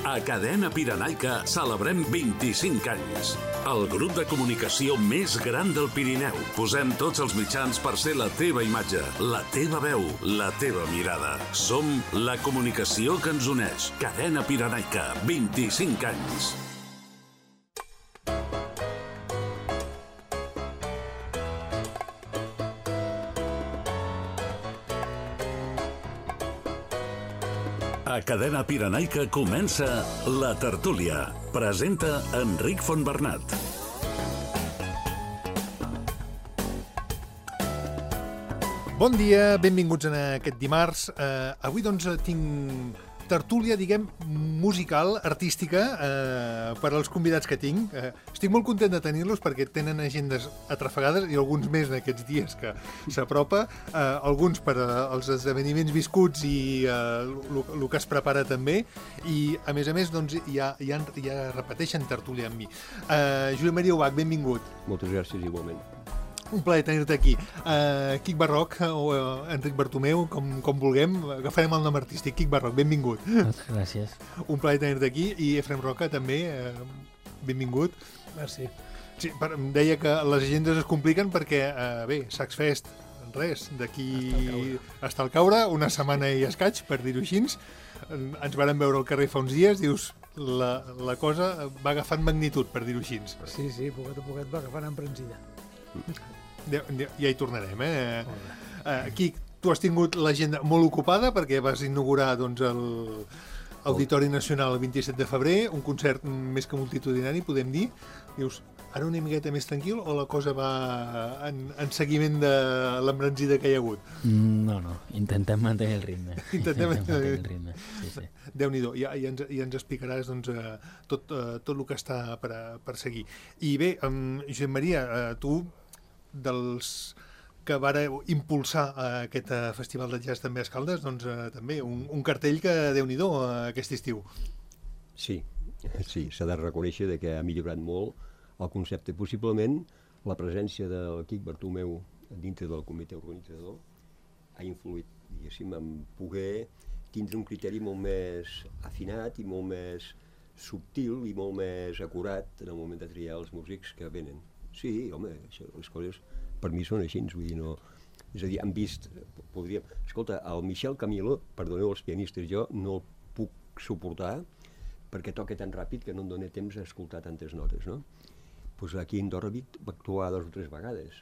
A Cadena Pirenaica celebrem 25 anys. El grup de comunicació més gran del Pirineu. Posem tots els mitjans per ser la teva imatge, la teva veu, la teva mirada. Som la comunicació que ens uneix. Cadena Pirenaica, 25 anys. A Cadena Pirenaica comença La Tertúlia. Presenta Enric Fontbernat. Bon dia, benvinguts en aquest dimarts. Avui, doncs, tinc tertúlia, diguem, musical, artística, per als convidats que tinc. Estic molt content de tenir-los perquè tenen agendes atrafegades i alguns més en aquests dies que s'apropa. Alguns per als esdeveniments viscuts i el que es prepara també. I, a més, doncs, ja repeteixen tertúlia amb mi. Josep Maria Ubach, benvingut. Moltes gràcies, igualment. Un plaer tenir-te aquí. Quic Barroc o Enric Bartomeu, com vulguem, agafarem el nom artístic. Quic Barroc, benvingut. Moltes gràcies. Un plaer tenir-te aquí. I Efrem Roca, també, benvingut. Merci. Sí, em deia que les agendes es compliquen perquè, bé, Sacs Fest, res, d'aquí està al caure, una setmana i escaig, per dir-ho així. Ens vàrem veure al carrer fa uns dies, dius, la cosa va agafant magnitud, per dir-ho així. Sí, poquet a poquet va agafant emprensida. Ja hi tornarem, Quic, tu has tingut l'agenda molt ocupada perquè vas inaugurar, doncs, l'Auditori Nacional el 27 de febrer, un concert més que multitudinari, podem dir. Dius, ara una miqueta més tranquil o la cosa va en seguiment de l'embranzida que hi ha hagut? No, intentem mantenir el ritme. Intentem mantenir el ritme, sí. Déu-n'hi-do, ja ens explicaràs, doncs, tot el que està per seguir. I bé, Josep Maria, tu, dels que vareu impulsar aquest festival de jazz també a Escaldes, doncs també un cartell que Déu-n'hi-do aquest estiu. Sí, s'ha de reconèixer que ha millorat molt el concepte. Possiblement la presència del Quic Bartomeu dintre del comitè organitzador ha influït, diguéssim, en poder tindre un criteri molt més afinat i molt més subtil i molt més acurat en el moment de triar els músics que venen. Sí, home, les coses per mi són així, vull dir, no... És a dir, han vist, podríem... Escolta, el Michel Camilo, perdoneu els pianistes, jo no el puc suportar perquè toca tan ràpid que no em dóna temps a escoltar tantes notes, no? Doncs aquí a Andorra va actuar 2 o 3 vegades,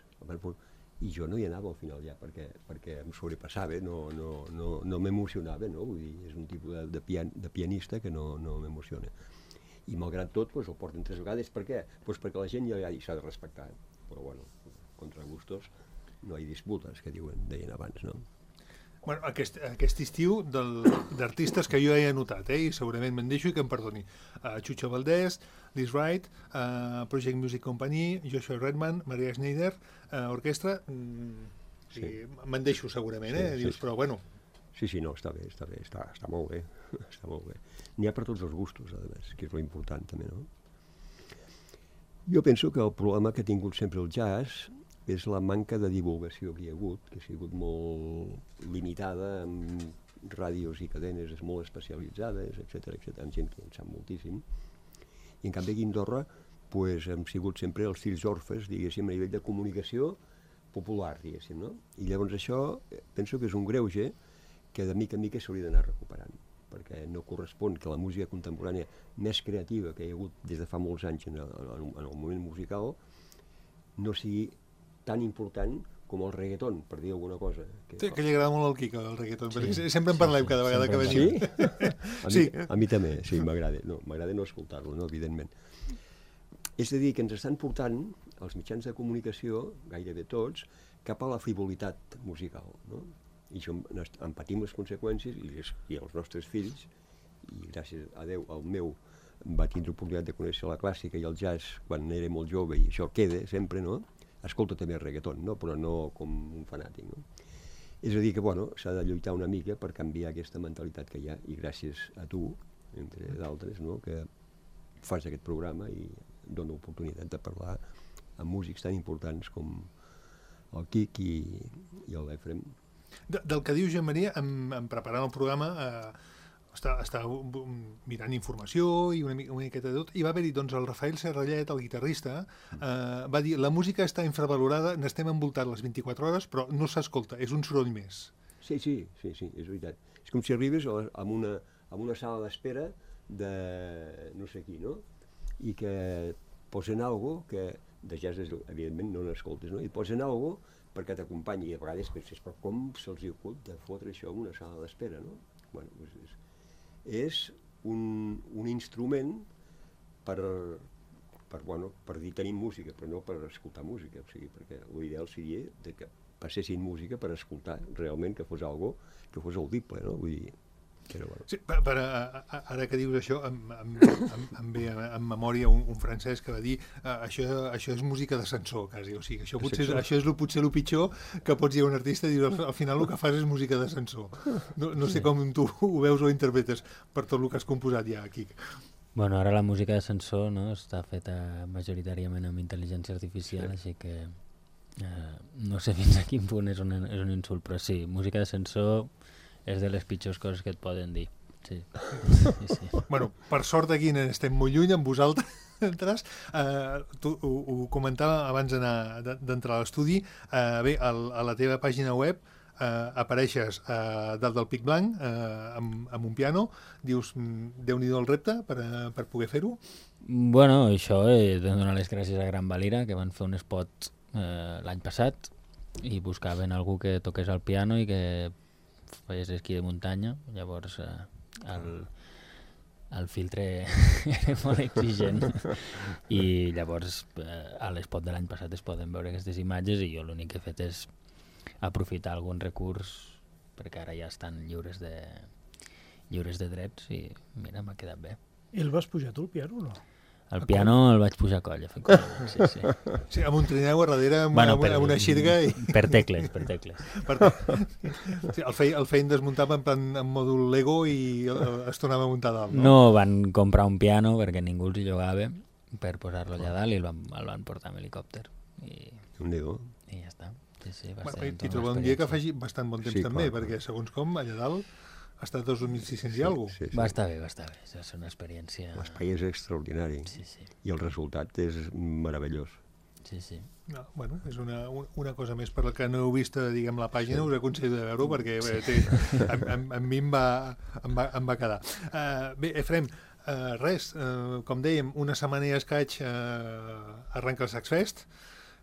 i jo no hi anava al final ja, perquè em sobrepassava, no m'emocionava, no? Vull dir, és un tipus de pianista que no m'emociona. I malgrat tot, el porten 3 vegades. Per què? Perquè la gent ja s'ha de respectar. Però, bueno, contra gustos no hi ha disputes, que deien abans, no? Bueno, aquest estiu d'artistes que jo he anotat, i segurament me'n deixo i que em perdoni. Chucho Valdés, Liz Wright, Project Music Company, Joshua Redman, Maria Schneider, orquestra... Sí. Me'n deixo segurament, dius, però bueno... Sí, no, està bé, està molt bé, està molt bé. N'hi ha per tots els gustos, a més, que és lo important també, no? Jo penso que el problema que ha tingut sempre el jazz és la manca de divulgació que hi ha hagut, que ha sigut molt limitada amb ràdios i cadenes molt especialitzades, etc., amb gent que en sap moltíssim. I en canvi aquí a Andorra hem sigut sempre els fills orfes, diguéssim, a nivell de comunicació popular, diguéssim, no? I llavors això penso que és un greuge que de mica en mica s'hauria d'anar recuperant, perquè no correspon que la música contemporània més creativa que hi ha hagut des de fa molts anys en el moment musical no sigui tan important com el reggaeton, per dir alguna cosa. Sí, que li agrada molt al Quico, el reggaeton. Sempre en parlem cada vegada que venim. Sí? A mi també, sí, m'agrada. M'agrada no escoltar-lo, evidentment. És a dir, que ens estan portant els mitjans de comunicació, gairebé tots, cap a la frivolitat musical, no? I això en patim les conseqüències i els nostres fills, i gràcies a Déu el meu va tindre oportunitat de conèixer la clàssica i el jazz quan era molt jove, i això queda sempre, no? Escolta també el reggaeton, no? Però no com un fanàtic, no? És a dir que, bueno, s'ha de lluitar una mica per canviar aquesta mentalitat que hi ha, i gràcies a tu, entre d'altres, no?, que fas aquest programa i dona l'oportunitat de parlar amb músics tan importants com el Quic i l'Efrem. Del que diu Josep Maria, en preparant el programa, Estava mirant informació i una miqueta de tot, i va haver-hi, doncs, el Rafael Serrallet, el guitarrista, va dir, la música està infravalorada, n'estem envoltats les 24 hores, però no s'escolta, és un soroll més. Sí, és veritat. És com si arribes a una sala d'espera de no sé qui, no? I que posen algo que de jazz, evidentment, no n'escoltes, no? I posen algo perquè t'acompanyi, i a vegades penses, però com se'ls ocut de fotre això en una sala d'espera, no? Bueno, és un instrument per dir tenim música, però no per escoltar música, o sigui, perquè l'ideal seria que passessin música per escoltar realment, que fos algo que fos audible, no? Vull dir, però bueno. Sí, ara que dius això, em ve en memòria un francès que va dir això és música d'ascensor, quasi, o sigui, això és potser el pitjor que pots dir a un artista, i al final el que fas és música d'ascensor. No sé com tu ho veus o interpretes per tot el que has composat ja, Quic. Bueno, ara la música d'ascensor, no, està feta majoritàriament amb intel·ligència artificial, així que no sé fins a quin punt és un insult, però sí, música d'ascensor és de les pitjors coses que et poden dir. Sí. Bueno, per sort aquí estem molt lluny amb vosaltres. Tu ho comentava abans d'entrar a l'estudi. Bé, a la teva pàgina web apareixes dalt del pic blanc amb un piano. Dius, Déu-n'hi-do el repte per poder fer-ho? Bueno, això he de donar les gràcies a Gran Valira, que van fer un spot l'any passat i buscaven algú que toqués el piano i que feies esquí de muntanya. Llavors el filtre era molt exigent i llavors a l'espot de l'any passat es poden veure aquestes imatges i jo l'únic que he fet és aprofitar algun recurs perquè ara ja estan lliures de drets i mira, m'ha quedat bé. I el vas pujar tu, el piano, o no? El piano el vaig pujar a coll, efectivament. Sí. Sí, amb un trineu a darrere, amb una xirga i... Per tecles. Sí, el feien desmuntar en mòdul Lego i es tornava a muntar dalt, no? No, van comprar un piano perquè ningú els hi llogava per posar-lo allà dalt i el van portar amb helicòpter. I ja està. Sí, I trobem un dia que faci bastant bon temps també, perquè segons com, allà dalt ha estat 2.600 i alguna cosa. Va estar bé. Va ser una experiència... L'espai és extraordinari. Sí. I el resultat és meravellós. Sí. No, bueno, és una cosa més per la que no heu vist, diguem, la pàgina, us aconsello de veure-ho perquè a mi em va quedar. Bé, Efrem, res, com dèiem, una setmana i escaig arrenca el Saxfest.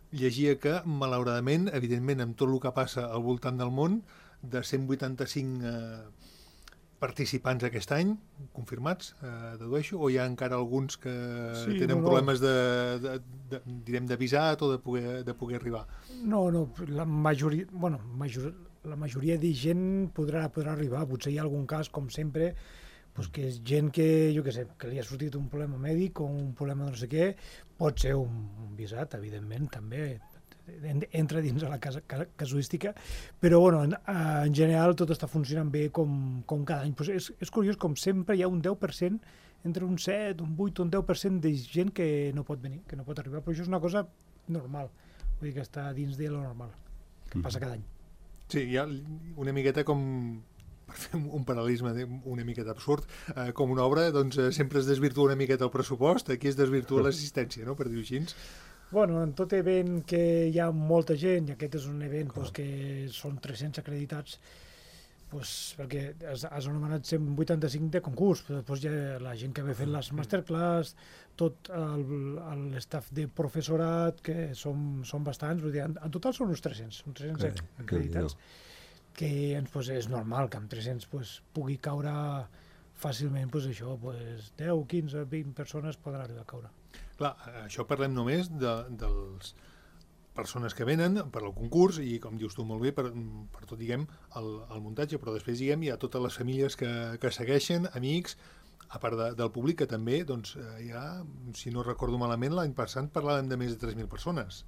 Llegia que, malauradament, evidentment, amb tot el que passa al voltant del món, de 185 participants aquest any, confirmats, dedueixo, o hi ha encara alguns que tenen problemes de visat o de poder arribar? No, la majoria de gent podrà arribar. Potser hi ha algun cas, com sempre, pues que és gent que, jo què sé, que li ha sortit un problema mèdic o un problema de no sé què, pot ser un visat, evidentment, també, entra dins de la casuística, però bueno, en general tot està funcionant bé com cada any. Pues és curiós, com sempre hi ha un 10%, entre un 7, un 8, un 10% de gent que no pot venir, que no pot arribar, però això és una cosa normal, vull dir que està dins de lo normal, que passa cada any. Sí, hi ha una miqueta com, per fer un paral·lelisme una miqueta absurd, com una obra, doncs sempre es desvirtua una miqueta el pressupost, aquí es desvirtua l'assistència, no?, per dir-ho així. Bueno, en tot event que hi ha molta gent, i aquest és un event que són 300 acreditats, perquè has anomenat 185 de concurs, però després hi ha la gent que ve fent les masterclass, tot l'estaf de professorat, que són bastants, vull dir, en total són uns 300 acreditats, que és normal que amb 300 pugui caure fàcilment, això, 10, 15, 20 persones poden arribar a caure. Clar, això parlem només de les persones que venen per al concurs i, com dius tu molt bé, per tot, diguem, el muntatge, però després, diguem, hi ha totes les famílies que segueixen, amics, a part del públic, que també, doncs, hi ha, si no recordo malament, l'any passat parlàvem de més de 3.000 persones.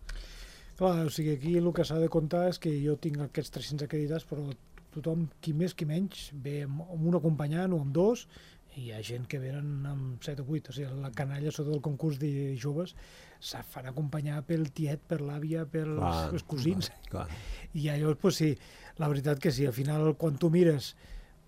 Clar, o sigui, aquí el que s'ha de comptar és que jo tinc aquests 300 acreditats, però tothom, qui més, qui menys, ve amb un acompanyant o amb dos, i hi ha gent que venen amb 7 o 8, o sigui, la canalla sota del concurs de joves se fan acompanyar pel tiet, per l'àvia, pels cosins. I llavors, sí, la veritat que sí, al final, quan tu mires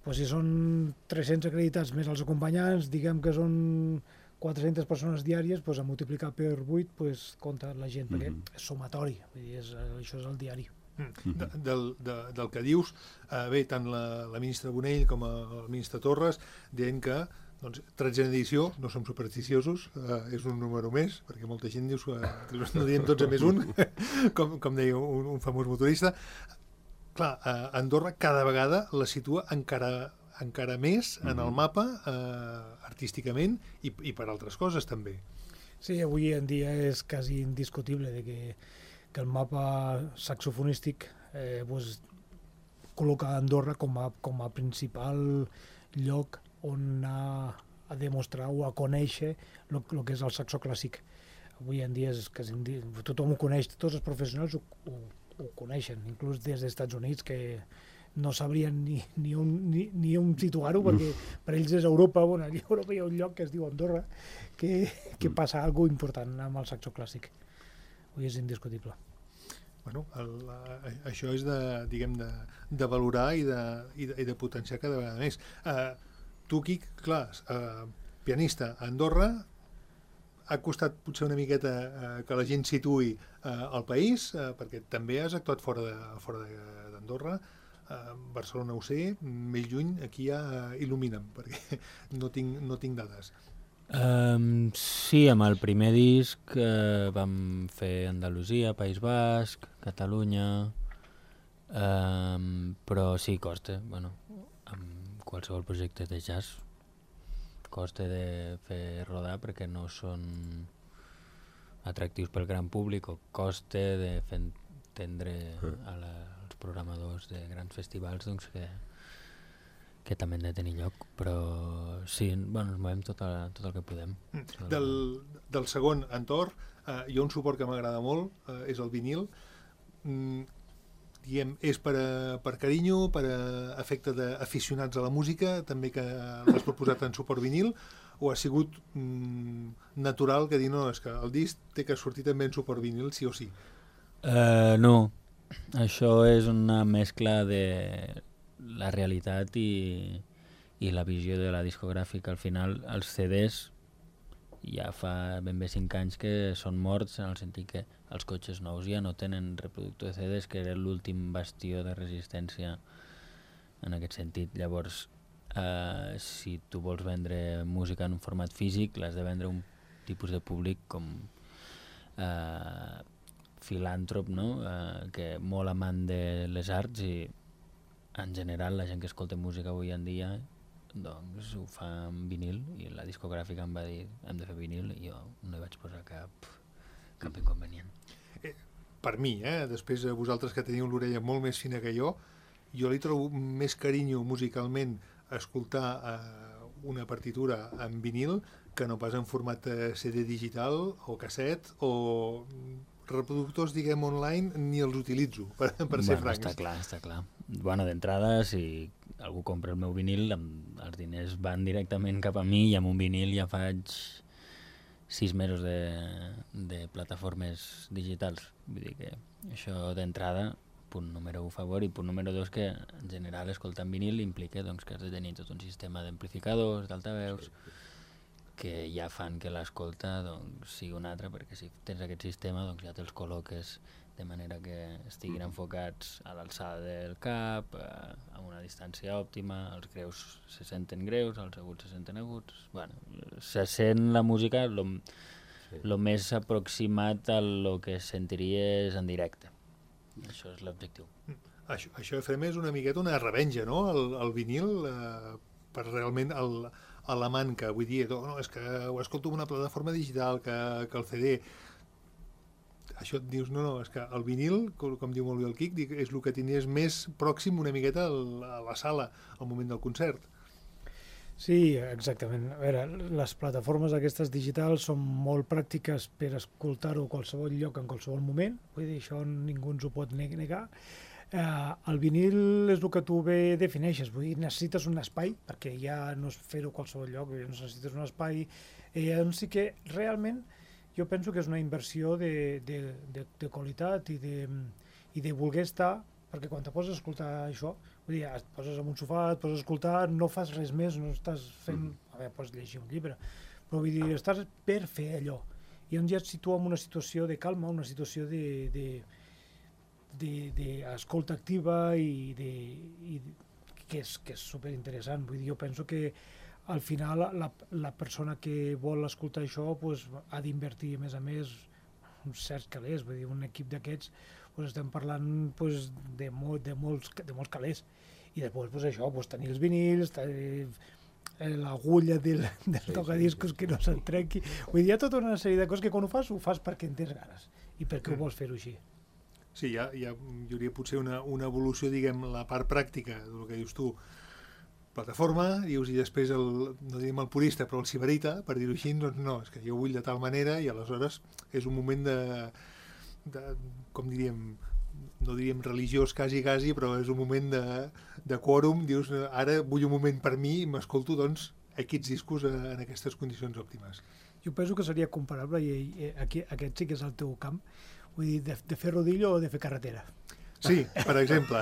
pues si són 300 acreditats més els acompanyants, diguem que són 400 persones diàries, pues a multiplicar per 8 pues, compta la gent, perquè és sumatori, vull dir, això és el diari. Del que dius, bé, tant la ministra Bonell com el ministre Torres deien que doncs, 13a edició, no som supersticiosos, és un número més, perquè molta gent diu que no diem 12 més 1, com deia un famós motorista. Clar, Andorra cada vegada la situa encara més en el mapa, artísticament i per altres coses també. Sí, avui en dia és quasi indiscutible de que el mapa saxofonístic pues, col·loca Andorra com a principal lloc on anar a demostrar o a conèixer el que és el saxo clàssic. Avui en dia és quasi tothom ho coneix, tots els professionals ho coneixen, inclús des dels Estats Units, que no sabrien ni on situar-ho, perquè per ells és Europa, bueno, allà a Europa hi ha un lloc que es diu Andorra, que passa alguna cosa important amb el saxo clàssic. Avui és indiscutible. Bueno, això és de valorar i de potenciar cada vegada més. Tu, Quic, clar, pianista a Andorra, ha costat potser una miqueta que la gent situï al país, perquè també has actuat fora d'Andorra. Barcelona ho sé, més lluny, aquí ja il·lumina'm, perquè no tinc dades. Sí, amb el primer disc vam fer Andalusia, País Basc, Catalunya, però sí, costa, bueno, amb qualsevol projecte de jazz costa de fer rodar perquè no són atractius pel gran públic o costa de fer entendre als programadors de grans festivals doncs, que també han de tenir lloc, però sí, bueno, ens movem tot el que podem. Del segon entorn, hi ha un suport que m'agrada molt, és el vinil. Diem, és per carinyo, per efecte d'aficionats a la música, també que l'has proposat en suport vinil, o ha sigut natural que dir, no, és que el disc té que sortir també en suport vinil, sí o sí? No, això és una mescla de la realitat i la visió de la discogràfica. Al final, els CDs ja fa ben bé 5 anys que són morts, en el sentit que els cotxes nous ja no tenen reproductor de CDs, que era l'últim bastió de resistència en aquest sentit. Llavors, si tu vols vendre música en un format físic, l'has de vendre a un tipus de públic com filàntrop, no? Que molt amant de les arts, i en general la gent que escolta música avui en dia doncs ho fa en vinil, i la discogràfica em va dir hem de fer vinil i jo no hi vaig posar cap inconvenient. Per mi, després vosaltres que teniu l'orella molt més fina que jo li trobo més carinyo musicalment a escoltar una partitura en vinil que no pas en format CD digital o casset o reproductors, diguem, online, ni els utilitzo, per ser francs. Està clar. Bueno, d'entrada, si algú compra el meu vinil, els diners van directament cap a mi, i amb un vinil ja faig 6 mesos de plataformes digitals. Vull dir que això d'entrada, punt número 1 a favor, i punt número 2 que en general escoltar en vinil implica doncs, que has de tenir tot un sistema d'amplificadors, d'altaveus, que ja fan que l'escolta doncs, sigui un altre, perquè si tens aquest sistema doncs, ja te'ls col·loques de manera que estiguin enfocats a l'alçada del cap, a una distància òptima, els greus se senten greus, els aguts se senten aguts. Bueno, se sent la música el més aproximat a lo que sentiries en directe. Això és l'objectiu. Això, Efrem, és una miqueta una revenja, no?, el vinil, per realment l'amant que vull dir, no, és que ho escolto en una plataforma digital, que el CD. Això et dius, no, és que el vinil, com diu molt bé el Quic, és el que tenies més pròxim una miqueta a la sala, al moment del concert. Sí, exactament. A veure, les plataformes aquestes digitals són molt pràctiques per escoltar-ho a qualsevol lloc, en qualsevol moment, vull dir, això ningú ens ho pot negar. El vinil és el que tu bé defineixes, vull dir, necessites un espai, perquè ja no és fer-ho a qualsevol lloc, necessites un espai, sí que realment jo penso que és una inversió de qualitat i de voler estar, perquè quan te poses a escoltar això, vull Vull dir, et poses en un sofà, et poses a escoltar, no fas res més, no estàs fent... A veure, pots llegir un llibre, però vull dir, estàs per fer allò. I on ja et situa en una situació de calma, una situació d'escolta activa i que és superinteressant. Vull dir, jo penso que al final la persona que vol escoltar això pues, ha d'invertir, a més, uns certs calés. Vull dir, un equip d'aquests pues, estem parlant pues, de molts calés. I després pues, això, pues, tenir els vinils, l'agulla del tocadiscos que no se'n trenqui. Vull dir, hi ha tota una sèrie de coses que quan ho fas perquè en tens ganes i perquè ho vols fer-ho així. Sí, hi hauria potser una evolució, diguem, la part pràctica del que dius tu, plataforma, dius, i després no diguem el purista, però el sibarita, per dir-ho així, doncs no, és que jo vull de tal manera i aleshores és un moment de com diríem, no diríem religiós quasi, però és un moment de quòrum, dius, ara vull un moment per mi i m'escolto, doncs, aquests discos en aquestes condicions òptimes. Jo penso que seria comparable, i aquest sí que és el teu camp, vull dir, de fer rodillo o de fer carretera. Sí, per exemple.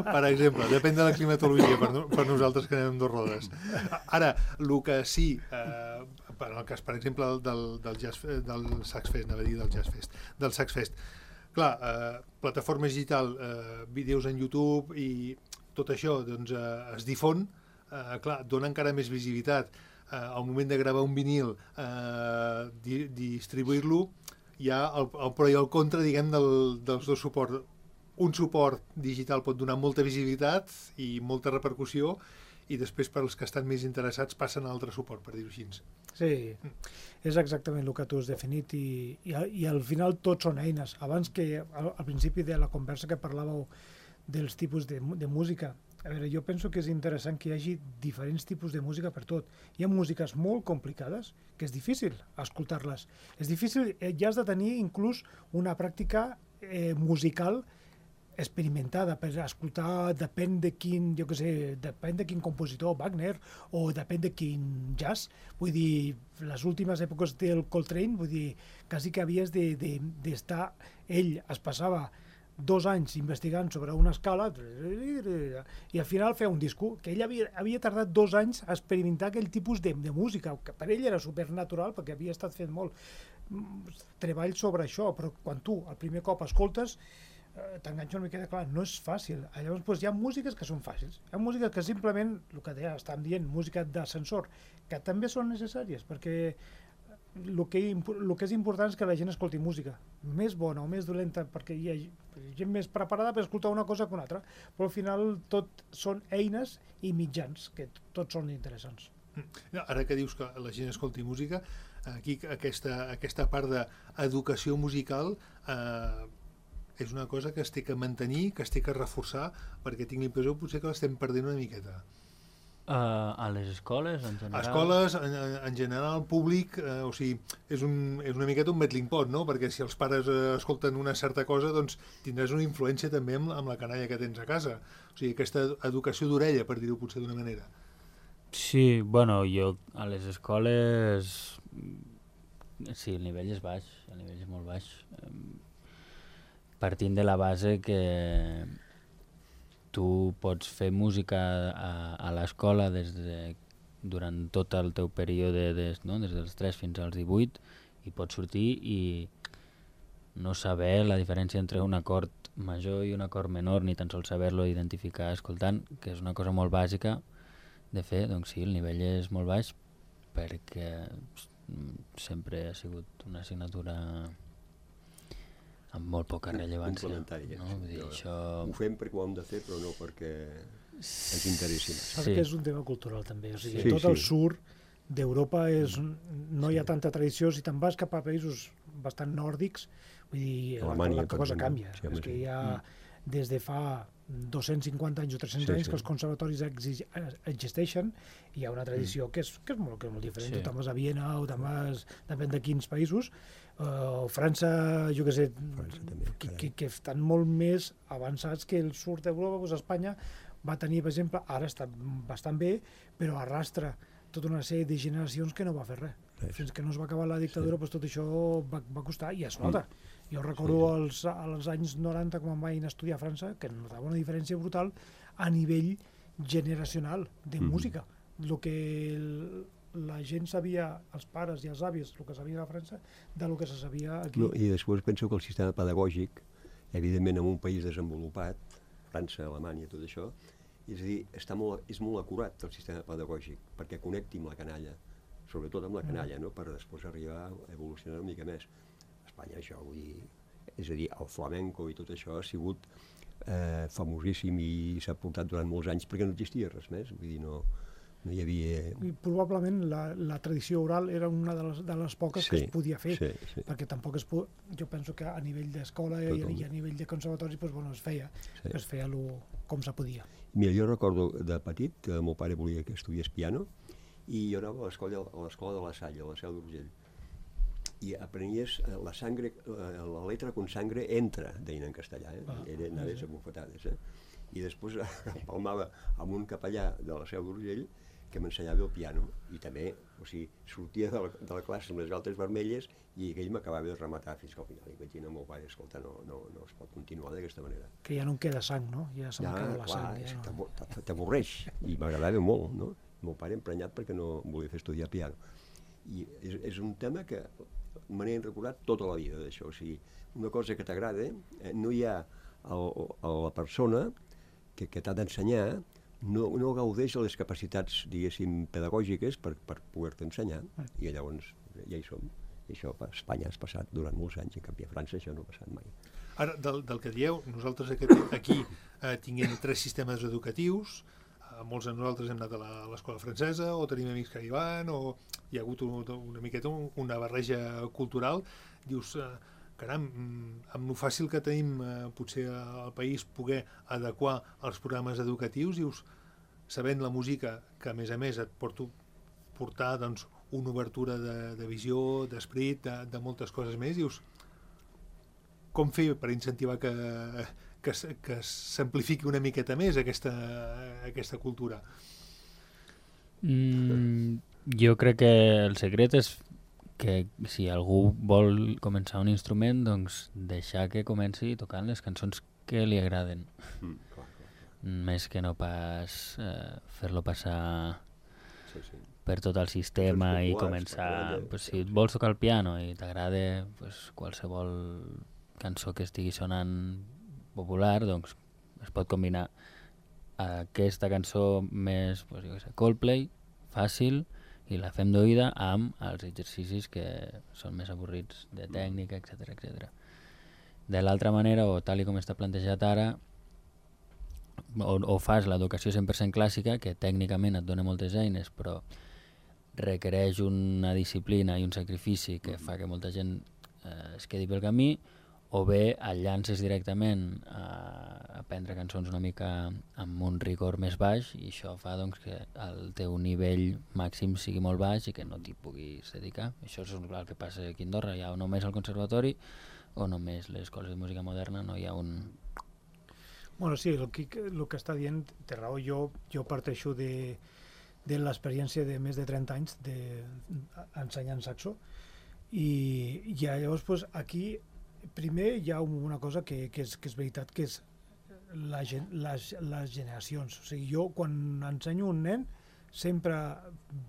Per exemple, depèn de la climatologia per nosaltres que anem amb dos rodes. Ara, el que sí, per el cas, per exemple, del Saxfest, anava a dir del Saxfest, clar, plataforma digital, vídeos en YouTube i tot això doncs, es difon, clar, dona encara més visibilitat. Al moment de gravar un vinil, distribuir-lo, hi ha el pro i el contra, diguem, dels dos suports. Un suport digital pot donar molta visibilitat i molta repercussió i després per als que estan més interessats passen a altre suport, per dir-ho així. Sí, és exactament el que tu has definit i al final tots són eines. Abans que al principi de la conversa que parlàveu dels tipus de música, a veure, jo penso que és interessant que hi hagi diferents tipus de música per tot. Hi ha músiques molt complicades que és difícil escoltar-les. És difícil, ja has de tenir inclús una pràctica musical experimentada per escoltar, depèn de quin, jo què sé, depèn de quin compositor, Wagner, o depèn de quin jazz. Vull dir, les últimes èpoques del Coltrane, vull dir, quasi que havies d'estar... Ell es passava 2 anys investigant sobre una escala i al final feia un disco, que ell havia tardat 2 anys a experimentar aquell tipus de música, que per ell era supernatural perquè havia estat fent molt treball sobre això, però quan tu el primer cop escoltes t'enganxa una miqueta, clar, no és fàcil. Llavors doncs, hi ha músiques que són fàcils, hi ha músiques que simplement, el que estan dient, música d'ascensor, que també són necessàries, perquè el que és important és que la gent escolti música, més bona o més dolenta, perquè hi ha gent més preparada per escoltar una cosa que una altra, però al final tot són eines i mitjans, que tots són interessants. Ara que dius que la gent escolti música, aquí aquesta part d'educació musical és una cosa que es té que mantenir, que es té que reforçar, perquè tinc l'impressió potser que l'estem perdent una miqueta. A les escoles, en general? A escoles, en general, públic, o sigui, és una miqueta un metlling pot, no? Perquè si els pares escolten una certa cosa, doncs tindràs una influència també amb la canalla que tens a casa. O sigui, aquesta educació d'orella, per dir-ho potser d'una manera. Sí, bueno, jo a les escoles... Sí, el nivell és baix, el nivell és molt baix. Partint de la base que tu pots fer música a l'escola durant tot el teu període, des dels 3 fins als 18, i pots sortir i no saber la diferència entre un acord major i un acord menor, ni tan sols saber-lo identificar escoltant, que és una cosa molt bàsica de fer. Doncs sí, el nivell és molt baix perquè sempre ha sigut una assignatura amb molt poca rellevància. Complementària. No? Vull dir, això... Ho fem perquè ho hem de fer, però no perquè ens interessi. Saps que és un tema cultural també. O sigui, tot el sud d'Europa no hi ha tanta tradició. Si te'n vas cap a països bastant nòrdics, vull dir, la cosa canvia. Sí, és que hi ha des de fa 250 anys o 300 anys que els conservatoris existeixen i hi ha una tradició que és molt diferent. Tu te'n vas a Viena o te'n vas, depèn de quins països, o França, jo què sé, que estan molt més avançats que el sud d'Europa. Doncs Espanya va tenir, per exemple, ara està bastant bé, però arrastra tota una sèrie de generacions que no va fer res. Fins que no es va acabar la dictadura, doncs tot això va costar, i es nota. Jo recordo als anys 90, quan vaig anar a estudiar a França, que notava una diferència brutal a nivell generacional de música. El que la gent sabia, els pares i els avis, el que sabien a França, del que se sabia aquí. No, I després penso que el sistema pedagògic, evidentment en un país desenvolupat, França, Alemanya, tot això, és a dir, és molt acurat el sistema pedagògic, perquè connecti amb la canalla, sobretot amb la canalla, no? Per després arribar a evolucionar una mica més. A Espanya això, vull dir, és a dir, el flamenco i tot això ha sigut famosíssim i s'ha portat durant molts anys perquè no existia res més, vull dir, no hi havia... I probablement la tradició oral era una de les poques que es podia fer, perquè tampoc jo penso que a nivell d'escola i a nivell de conservatori es feia com se podia. Mira, jo recordo de petit que el meu pare volia que estudiés piano i jo anava a l'escola de la Salle, a la Seu d'Urgell, i aprenies la letra con sangre entra, deien en castellà, anaves a bufetades, i després empalmava amb un capellà de la Seu d'Urgell que m'ensenyava el piano, i també, o sigui, sortia de la classe amb les galtes vermelles i aquell m'acabava de rematar fins que al final. I vaig dir al meu pare, escolta, no es pot continuar d'aquesta manera. Que ja no en queda sang, no? Ja se m'acaba la sang. Ja t'avorreix, i m'agradava molt, no? El meu pare emprenyat perquè no volia fer estudiar piano. I és un tema que me n'he recordat tota la vida, d'això. O sigui, una cosa que t'agrada, no hi ha la persona que t'ha d'ensenyar, no gaudeix de les capacitats, diguéssim, pedagògiques per poder-te ensenyar, i llavors ja hi som. I això a Espanya has passat durant molts anys, en canvi a França això no ha passat mai. Ara, del que dieu, nosaltres aquí tinguem 3 sistemes educatius, molts de nosaltres hem anat a l'escola francesa, o tenim amics que hi van, o hi ha hagut una miqueta una barreja cultural. Dius, caram, amb lo fàcil que tenim potser al país poder adequar els programes educatius, dius, sabent la música que a més et portar doncs, una obertura de visió, d'esperit, de moltes coses més, dius, com fer per incentivar que s'amplifiqui una miqueta més aquesta cultura? Jo crec que el secret és que si algú vol començar un instrument, doncs deixar que comenci tocant les cançons que li agraden. Més que no pas fer-lo passar per tot el sistema i començar... Si et vols tocar el piano i t'agrada qualsevol cançó que estigui sonant popular, doncs es pot combinar aquesta cançó més, Coldplay, fàcil, i la fem d'oïda amb els exercicis que són més avorrits de tècnica, etc. De l'altra manera, o tal com està plantejat ara, o fas l'educació 100% clàssica, que tècnicament et dona moltes eines, però requereix una disciplina i un sacrifici que fa que molta gent es quedi pel camí, o bé et llances directament a aprendre cançons una mica amb un rigor més baix, i això fa doncs, que el teu nivell màxim sigui molt baix i que no t'hi puguis dedicar. Això és el que passa aquí a Andorra. Hi ha només el conservatori o només les escoles de música moderna, no hi ha un... Bueno, sí, el que està dient té raó. Jo parteixo de l'experiència de més de 30 anys ensenyant saxo, i llavors aquí primer hi ha una cosa que és veritat, que és les generacions. O sigui, jo quan ensenyo un nen sempre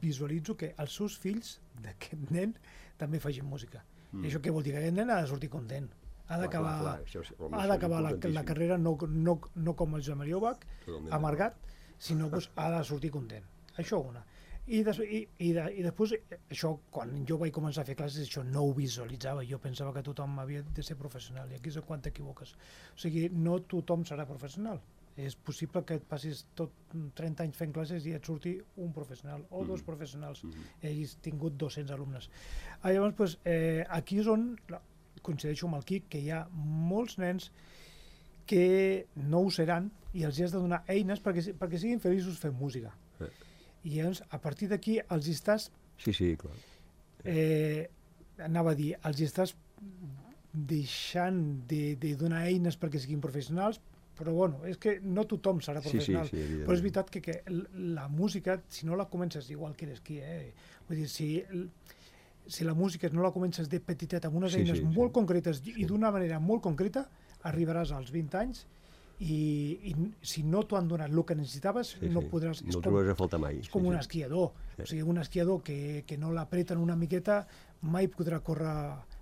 visualitzo que els seus fills d'aquest nen també facin música. I això què vol dir? Que aquest nen ha de sortir content. Ha d'acabar la carrera no com el Joan Maria Ubach, amargat, sinó ha de sortir content. Això una. I després, això, quan jo vaig començar a fer classes, això no ho visualitzava. Jo pensava que tothom havia de ser professional, i aquí és quan t'equivoques. O sigui, no tothom serà professional. És possible que et passis tot 30 anys fent classes i et surti un professional o 2 professionals. Hagis tingut 200 alumnes. Llavors, aquí és on coincideixo amb el Quic, que hi ha molts nens que no ho seran i els has de donar eines perquè siguin feliços fent música. I llavors, a partir d'aquí, els estàs... Sí, clar. Anava a dir, els estàs deixant de donar eines perquè siguin professionals però bueno, és que no tothom serà professional. Sí, evidentment. Però és veritat que la música, si no la comences igual que eres qui, vull dir, si la música no la comences de petitet amb unes eines molt concretes i d'una manera molt concreta, arribaràs als 20 anys i si no t'ho han donat el que necessitaves, no podràs... No trobaràs a faltar mai. És com un esquiador. O sigui, un esquiador que no l'apreten una miqueta mai podrà córrer,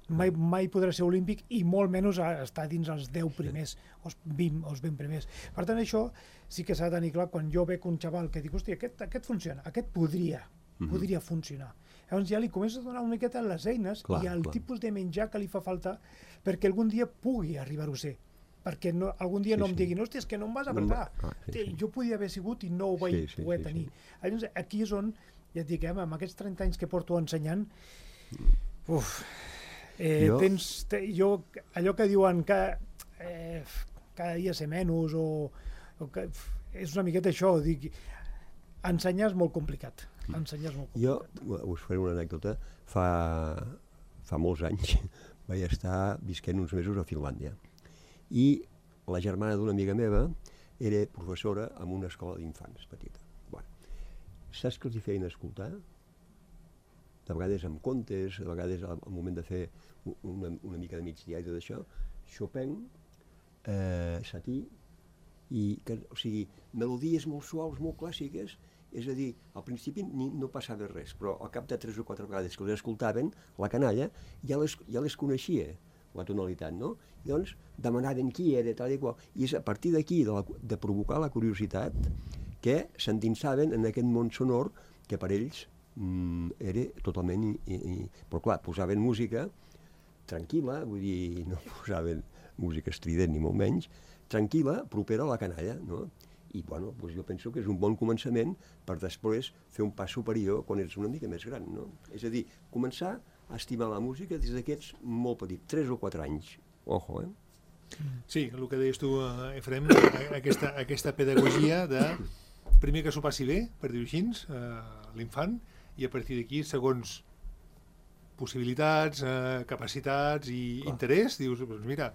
mai podrà ser olímpic i molt menys estar dins els 10 primers, els 20 o els 20 primers. Per tant, això sí que s'ha de tenir clar quan jo veig un xaval que dic, hòstia, aquest funciona, aquest podria funcionar. Llavors ja li comences a donar una miqueta les eines i el tipus de menjar que li fa falta perquè algun dia pugui arribar-ho a ser. Perquè algun dia no em diguin, hòstia, és que no em vas apretar. Jo podia haver sigut i no ho vaig poder tenir. Llavors, aquí és on, ja et dic, amb aquests 30 anys que porto ensenyant, allò que diuen que cada dia ser menys o que és una miqueta això, dic, ensenyar és molt complicat. Jo us faré una anècdota. Fa molts anys vaig estar visquent uns mesos a Finlàndia i la germana d'una amiga meva era professora en una escola d'infants petita. Saps que els hi feien escoltar? De vegades amb contes, de vegades al moment de fer una mica de migdia i tot això, Chopin, Satie, o sigui, melodies molt suaus, molt clàssiques. És a dir, al principi no passava res, però al cap de 3 o 4 vegades que les escoltaven, la canalla ja les coneixia, la tonalitat, no? I doncs demanaven qui era, tal i qual. I és a partir d'aquí, de provocar la curiositat, que s'endinsaven en aquest món sonor que per ells era totalment... Però clar, posaven música tranquil·la, vull dir, no posaven música estrident ni molt menys, tranquil·la, propera a la canalla, no? I bueno, doncs jo penso que és un bon començament per després fer un pas superior quan ets una mica més gran, no? És a dir, començar a estimar la música des d'aquests molt petits, 3 o 4 anys. Ojo, Sí, el que deies tu, Efrem, aquesta pedagogia de primer que s'ho passi bé, per dir-ho així, l'infant, i a partir d'aquí, segons possibilitats, capacitats i interès, dius, doncs mira,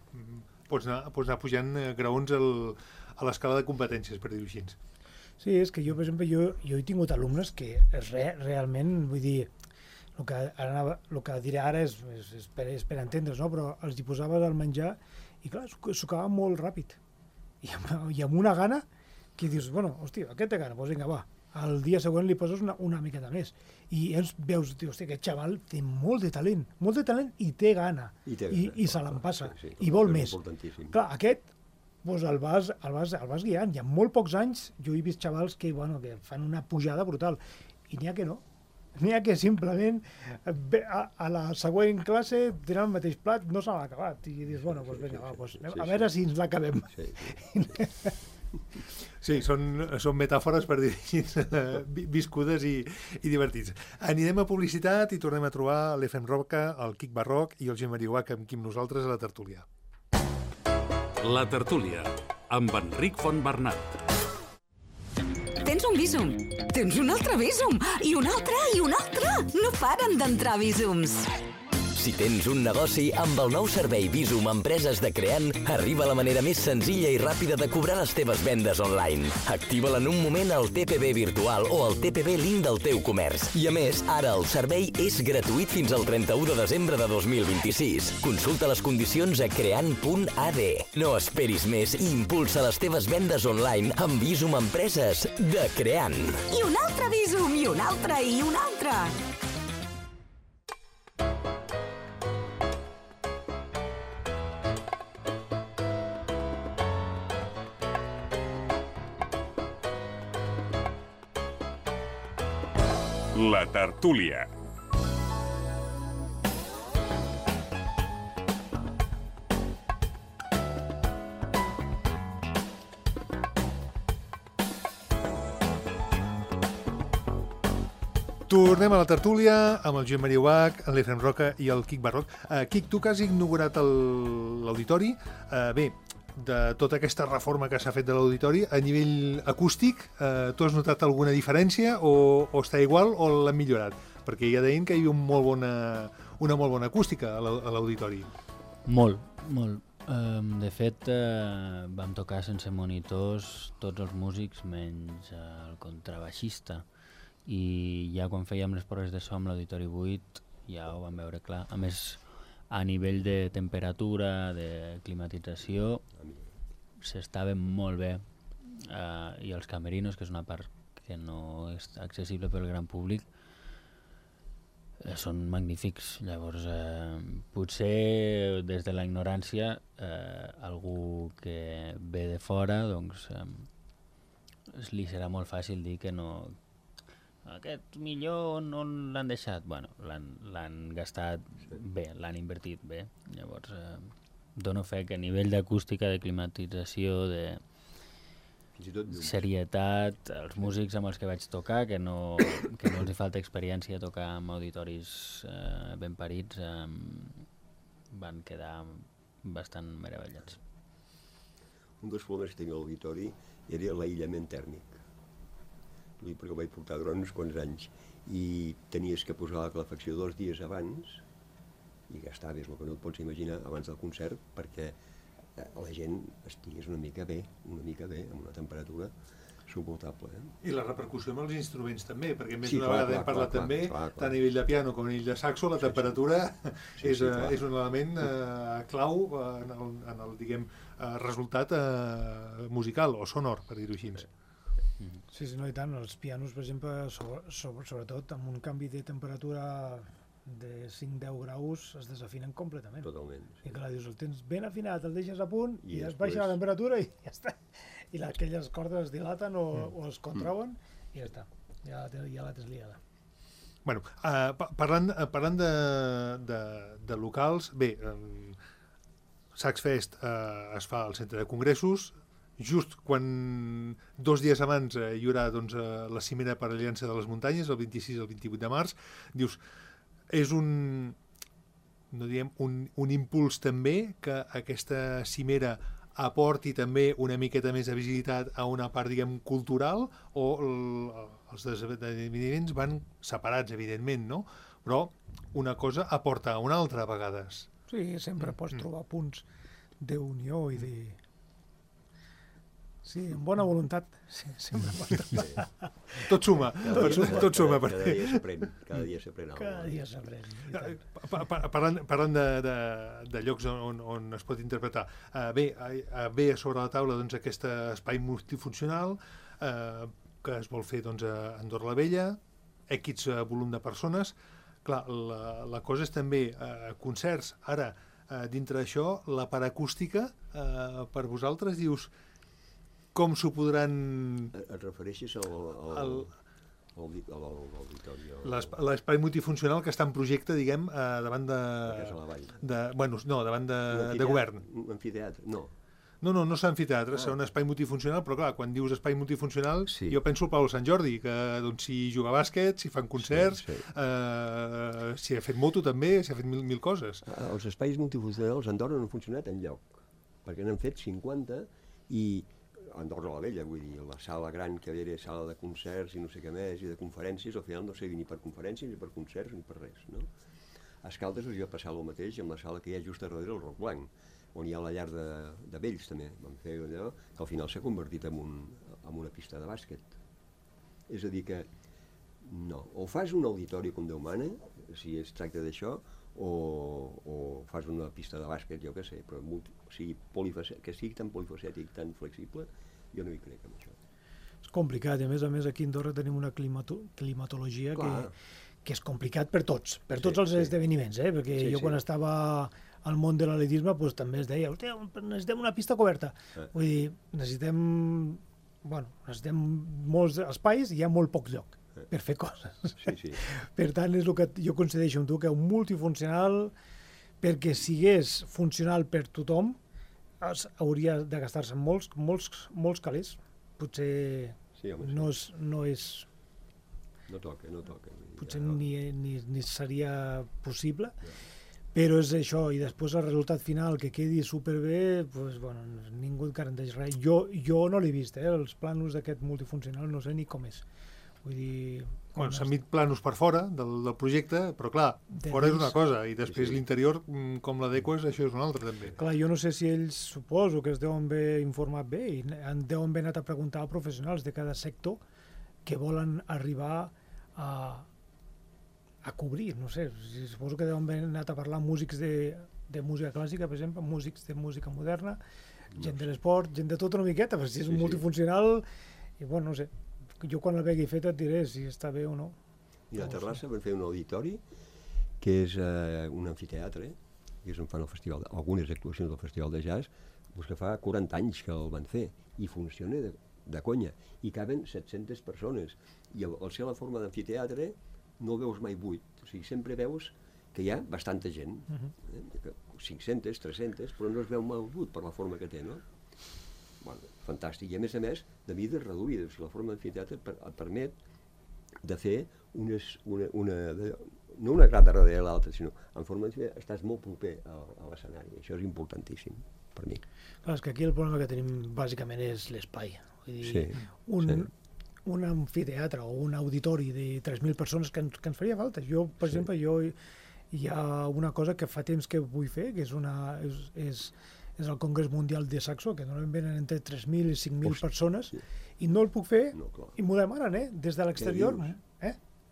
pots anar pujant graons a l'escala de competències, per dir-ho així. Sí, és que jo, per exemple, jo he tingut alumnes que realment, vull dir, el que diré ara és per entendre's, no? Però els hi posaves al menjar i clar, s'ho acabava molt ràpid. I amb una gana que dius, bueno, hòstia, aquest té gana, doncs vinga, va. El dia següent li poses una miqueta més. I veus, hòstia, aquest xaval té molt de talent i té gana. I se l'empassa. I vol més. Clar, aquest doncs el vas guiant. I en molt pocs anys jo he vist xavals que fan una pujada brutal. I n'hi ha que no. N'hi ha que simplement a la següent classe tenen el mateix plat, no se l'ha acabat. I dius, bueno, doncs vinga, a veure si ens l'acabem. Sí, són metàfores per dir viscudes i divertits. Anirem a publicitat i tornem a trobar l'Efrem Roca, el Quic Barroc i el Gemma Mariuach amb nosaltres a la tertúlia. La tertúlia, amb Enric Fontbernat. Tens un Bizum, tens un altre Bizum, i un altre, i un altre. No paren d'entrar Bizums. Si tens un negoci, amb el nou servei Bizum Empreses de Creant, arriba la manera més senzilla i ràpida de cobrar les teves vendes online. Activa-la en un moment al TPB virtual o al TPB Link del teu comerç. I a més, ara el servei és gratuït fins al 31 de desembre de 2026. Consulta les condicions a creant.ad. No esperis més i impulsa les teves vendes online amb Bizum Empreses de Creant. I un altre Bizum, i un altre, i un altre. La tertúlia. Tornem a la tertúlia amb el Gemma Mariuach, l'Efrem Roca i el Quic Barroc. Quic, tu que has inaugurat l'auditori, bé, de tota aquesta reforma que s'ha fet de l'auditori, a nivell acústic, tu has notat alguna diferència o està igual o l'han millorat? Perquè ja deien que hi havia una molt bona acústica a l'auditori. Molt. De fet, vam tocar sense monitors tots els músics menys el contrabaixista, i ja quan fèiem les proves de so amb l'Auditori 8 ja ho vam veure clar. A més, a nivell de temperatura, de climatització, s'estava molt bé, i els camerinos, que és una part que no és accessible pel gran públic, són magnífics. Llavors, potser des de la ignorància, algú que ve de fora, doncs li serà molt fàcil dir que no, aquest millor no l'han deixat. Bueno, l'han gastat bé, l'han invertit bé. Llavors, dono fe que a nivell d'acústica, de climatització, de serietat, els músics amb els que vaig tocar, que no els hi falta experiència a tocar amb auditoris ben parits, van quedar bastant meravellats. Un dels problemes que tenia l'auditori era l'aïllament tèrmic. Perquè ho vaig portar durant uns quants anys i tenies que posar la calefacció 2 dies abans i gastaves el que no et pots imaginar abans del concert perquè la gent estigués una mica bé, amb una temperatura suportable. I la repercussió amb els instruments també, perquè més d'una vegada hem parlat també, tant a nivell de piano com a nivell de saxo, la temperatura és un element clau en el, diguem, resultat musical o sonor, per dir-ho així. Sí, no, i tant. Els pianos, per exemple, sobretot amb un canvi de temperatura de 5-10 graus es desafinen completament. Totalment. I clar, dius, el tens ben afinat, el deixes a punt i es baixa la temperatura i ja està. I aquelles cordes es dilaten o es contrauen i ja està. Ja la tens liada. Bueno, parlant de locals, bé, Saxfest es fa al centre de congressos, just quan 2 dies abans hi haurà la cimera per l'Aliança de les Muntanyes, el 26 i el 28 de març, dius, és un impuls també que aquesta cimera aporti també una miqueta més de visibilitat a una part, diguem, cultural, o els esdeveniments van separats, evidentment, no? Però una cosa aporta a una altra a vegades. Sí, sempre pots trobar punts d'unió i de... Sí, amb bona voluntat, sí, sempre pots trobar. Tot suma, tot suma. Cada dia s'aprèn. Cada dia s'aprèn. Parlant de llocs on es pot interpretar, bé a sobre la taula aquest espai multifuncional que es vol fer a Andorra la Vella, X volum de persones. Clar, la cosa és també concerts. Ara, dintre d'això, la paracústica, per vosaltres, dius, com s'ho podran... Et refereixes al l'auditori? L'espai multifuncional que està en projecte, diguem, davant de... La Casa de la Vall. Bueno, no, davant de govern. Un amfiteatre? No. No és amfiteatre, serà un espai multifuncional, però clar, quan dius espai multifuncional, jo penso al Palau Sant Jordi, que s'hi juga bàsquet, s'hi fan concerts, s'hi ha fet moto també, s'hi ha fet mil coses. Els espais multifuncionals a Andorra no han funcionat enlloc, perquè n'han fet 50 i Andorra la Vella, vull dir, la sala gran que era sala de concerts i no sé què més, i de conferències, al final no sé ni per conferències, ni per concerts, ni per res, no? A Escaldes us hi va passar el mateix amb la sala que hi ha just darrere el Roc Blanc, on hi ha la llar de vells també, vam fer allò, que al final s'ha convertit en una pista de bàsquet. És a dir que, no, o fas un auditori com Déu mana, si es tracta d'això, o fas una pista de bàsquet, jo què sé, però que sigui tan polifacètic, tan flexible, jo no hi crec en això. És complicat, i a més aquí a Andorra tenim una climatologia que és complicat per tots els esdeveniments, perquè jo quan estava al món de l'atletisme també es deia, necessitem una pista coberta. Vull dir, necessitem molts espais i hi ha molt poc lloc per fer coses. Per tant, és el que jo coincideixo amb tu, que un multifuncional, perquè sigués funcional per tothom, hauria de gastar-se molts calés. Potser no és... No toca. Potser ni seria possible, però és això, i després el resultat final que quedi superbé, ningú et garanteix res. Jo no l'he vist, els plànols d'aquest multifuncional no sé ni com és. Vull dir... Bueno, s'han vist planos per fora del projecte, però clar, fora és una cosa, i després l'interior, com l'adeques, això és una altra també. Clar, jo no sé si ells, suposo que es deuen haver informat bé i deuen haver anat a preguntar a professionals de cada sector que volen arribar a cobrir, no sé, suposo que deuen haver anat a parlar amb músics de música clàssica, per exemple, músics de música moderna, gent de l'esport, gent de tot una miqueta, perquè si és un multifuncional, i bueno, no sé, jo quan el vegi fet et diré si està bé o no. I a Terrassa van fer un auditori que és un amfiteatre, que és on fan algunes actuacions del Festival de Jazz, que fa 40 anys que el van fer, i funciona de conya, i caben 700 persones, i al ser la forma d'amfiteatre no veus mai buit, o sigui, sempre veus que hi ha bastanta gent, 500, 300, però no es veu mai buit per la forma que té, no? Bueno, fantàstic, i a més, de mides reduïdes. O sigui, la forma d'amfiteatre et permet de fer no una grada darrere l'altra, sinó en forma d'amfiteatre estàs molt proper a l'escenari. Això és importantíssim per mi. Clar, és que aquí el problema que tenim bàsicament és l'espai. Vull dir, un amfiteatre o un auditori de 3.000 persones que ens faria falta. Jo, per exemple, hi ha una cosa que fa temps que vull fer, que és el Congrés Mundial de Saxo, que normalment venen entre 3.000 i 5.000 persones, i no el puc fer, i m'ho demanen, des de l'exterior.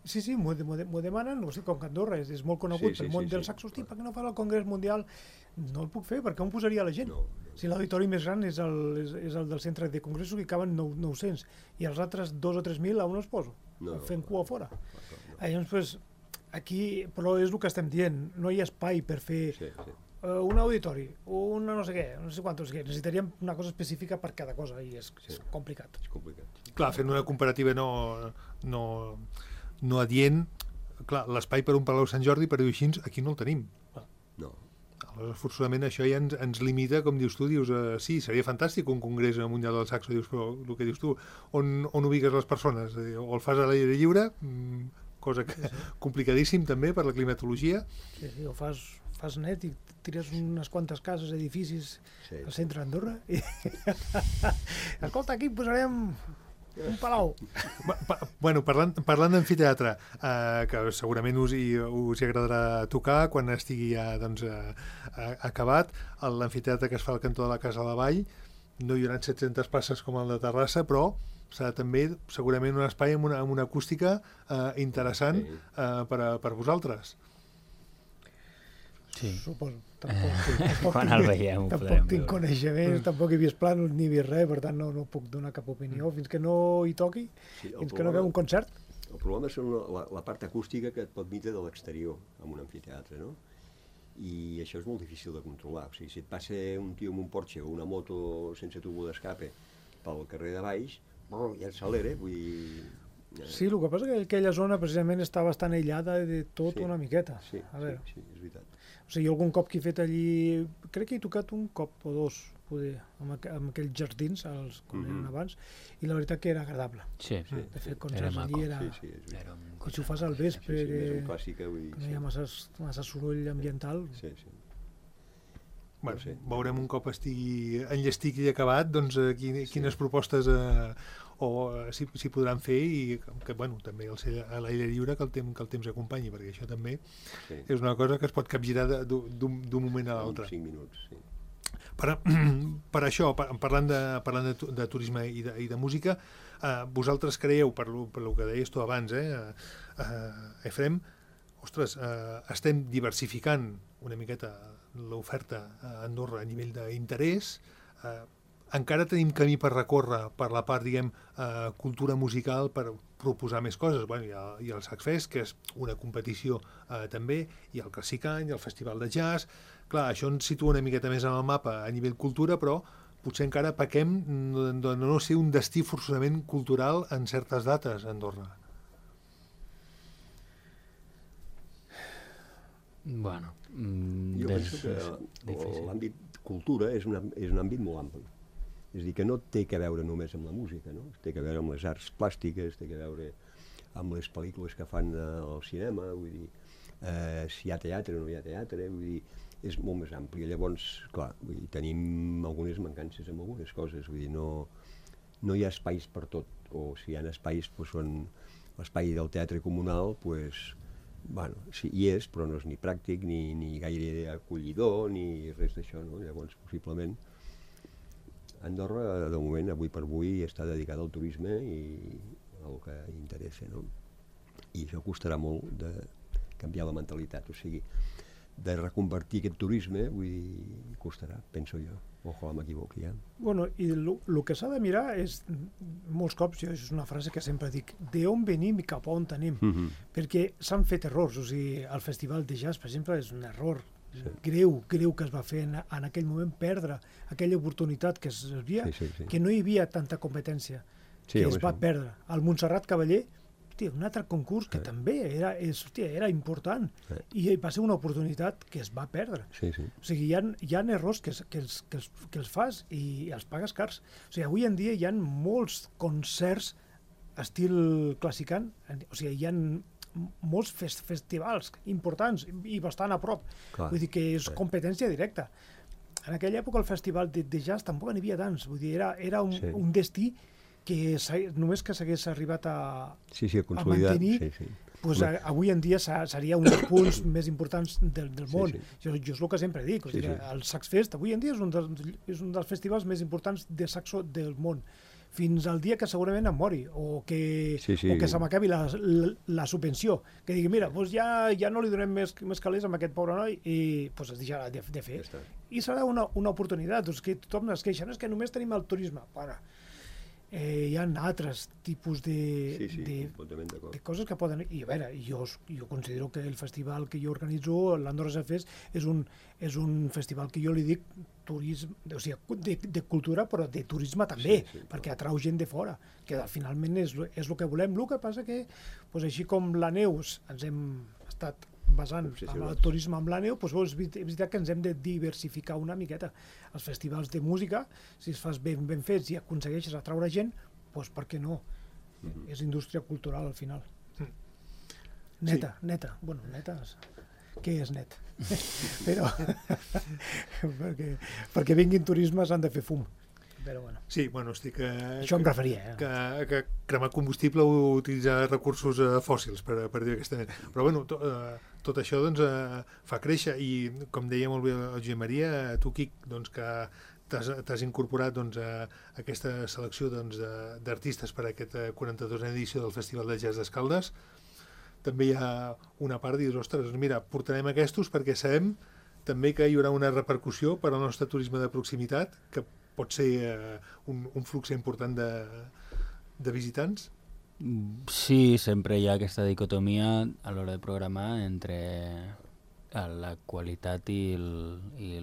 Sí, m'ho demanen, no sé, com que Andorra és molt conegut pel món del saxo, hosti, per què no fa el Congrés Mundial? No el puc fer, perquè on posaria la gent? Si l'auditori més gran és el del centre de congressos, que caben 900, i els altres 2 o 3.000 a on els poso? Fent cua fora. Llavors, aquí, però és el que estem dient, no hi ha espai per fer un auditori, una no sé què, no sé quantos, necessitaríem una cosa específica per cada cosa i és complicat. Clar, fent una comparativa no adient, clar, l'espai per un Palau Sant Jordi, per dir-ho així, aquí no el tenim. No. Aleshores, forçosament, això ja ens limita, com dius tu, sí, seria fantàstic un congrés mundial del saxo, dius, però el que dius tu, on ubiques les persones? O el fas a l'aire lliure, cosa que complicadíssim també per la climatologia. Sí, o fas net i tires unes quantes cases, edificis al centre d'Andorra i escolta, aquí posarem un palau. Bueno, parlant d'amfiteatre, que segurament us hi agradarà tocar quan estigui ja acabat, l'amfiteatre que es fa al cantó de la Casa de la Vall, no hi haurà 700 places com el de Terrassa, però serà també segurament un espai amb una acústica interessant per vosaltres. Sí. Suposo. Quan el veiem ho podrem Tampoc tinc coneixements, tampoc he vist plànols ni vist res, per tant no puc donar cap opinió fins que no hi toqui, fins que no veu un concert. El problema és la part acústica que et pot vindre de l'exterior en un amfiteatre, no? I això és molt difícil de controlar. O sigui, si et passa un tio amb un Porsche o una moto sense tubo d'escape pel carrer de baix, ja s'alera, vull dir... Sí, el que passa és que aquella zona precisament està bastant aïllada de tot una miqueta. Sí, és veritat. O sigui, algun cop que he fet allí, crec que he tocat un cop o dos, poder, amb aquells jardins, com eren abans, i la veritat que era agradable. Sí. De fer concerts allí era... Com si ho fas al vespre, no hi ha massa soroll ambiental. Sí. Bueno, veurem un cop estigui enllestit i acabat, doncs quines propostes s'hi podran fer i que, bueno, també a l'aire lliure que el temps acompanyi, perquè això també és una cosa que es pot capgirar d'un moment a l'altre. 5 minuts, sí. Per això, parlant de turisme i de música, vosaltres creieu, per el que deies tu abans, Efrem, ostres, estem diversificant una miqueta l'oferta a Andorra a nivell d'interès, encara tenim camí per recórrer per la part, diguem, cultura musical per proposar més coses. Bueno, hi ha el Saxfest, que és una competició també, hi ha el Classicany, el Festival de Jazz. Clar, això ens situa una miqueta més en el mapa a nivell cultura, però potser encara pequem de no ser un destí forçosament cultural en certes dates a Andorra. Bueno, jo penso que l'àmbit cultura és un àmbit molt ampli. És a dir, que no té que veure només amb la música, no? Té que veure amb les arts plàstiques, té que veure amb les pel·lícules que fan al cinema, vull dir, si hi ha teatre o no hi ha teatre, vull dir, és molt més ampli. Llavors, clar, vull dir, tenim algunes mancances amb algunes coses, vull dir, no hi ha espais per tot, o si hi ha espais doncs són l'espai del teatre comunal, doncs, bueno, sí, hi és, però no és ni pràctic, ni gaire acollidor, ni res d'això, no? Llavors, possiblement, Andorra, de moment, avui per avui, està dedicada al turisme i al que interessa, no? I això costarà molt de canviar la mentalitat, o sigui, de reconvertir aquest turisme, vull dir, costarà, penso jo. Ojalà m'equivoqui, ja. Bueno, i el que s'ha de mirar és, molts cops, jo, és una frase que sempre dic, d'on venim i cap a on anem, perquè s'han fet errors, o sigui, el Festival de Jazz, per exemple, és un error greu que es va fer en aquell moment, perdre aquella oportunitat que es havia, que no hi havia tanta competència, que es va perdre. El Montserrat Cavaller, hòstia, un altre concurs que també era important i va ser una oportunitat que es va perdre. O sigui, hi ha errors que els fas i els pagues cars. O sigui, avui en dia hi ha molts concerts estil classicant, o sigui, hi ha molts festivals importants i bastant a prop. Vull dir que és competència directa. En aquella època el festival de jazz tampoc n'hi havia tants. Vull dir, era un destí que només que s'hagués arribat a mantenir, avui en dia seria un dels punts més importants del món. Jo és el que sempre dic. El Saxfest avui en dia és un dels festivals més importants de saxo del món. Fins al dia que segurament em mori o que se m'acabi la subvenció, que digui, mira, ja no li donem més calés a aquest pobre noi i es deixarà de fer. I serà una oportunitat, que tothom es queixa, no és que només tenim el turisme. Bueno, hi ha altres tipus de coses que poden... I a veure, jo considero que el festival que jo organitzo, l'Andorra Jazz Fest, és un festival que jo li dic turisme, o sigui, de cultura, però de turisme també, perquè atrau gent de fora, que finalment és el que volem. El que passa que, així com la neu ens hem estat basant en el turisme amb la neu, és veritat que ens hem de diversificar una miqueta. Els festivals de música, si els fas ben fets i aconsegueixes atraure gent, per què no? És indústria cultural al final. Neta. Bueno, neta, què és net? Però perquè vinguin turismes han de fer fum. Però bueno. Sí, bueno, estic... Això em referia, que cremar combustible o utilitzar recursos fòssils, per dir aquesta manera. Però bueno, tot això doncs, fa créixer i, com deia molt bé el Josep Maria, tu, Quic, doncs, que t'has incorporat doncs, a aquesta selecció d'artistes per a aquesta 42a edició del Festival de Jazz d'Escaldes, també hi ha una part de dir, ostres, mira, portarem aquests perquè sabem també que hi haurà una repercussió per al nostre turisme de proximitat, que pot ser un flux important de visitants? Sí, sempre hi ha aquesta dicotomia a l'hora de programar entre la qualitat i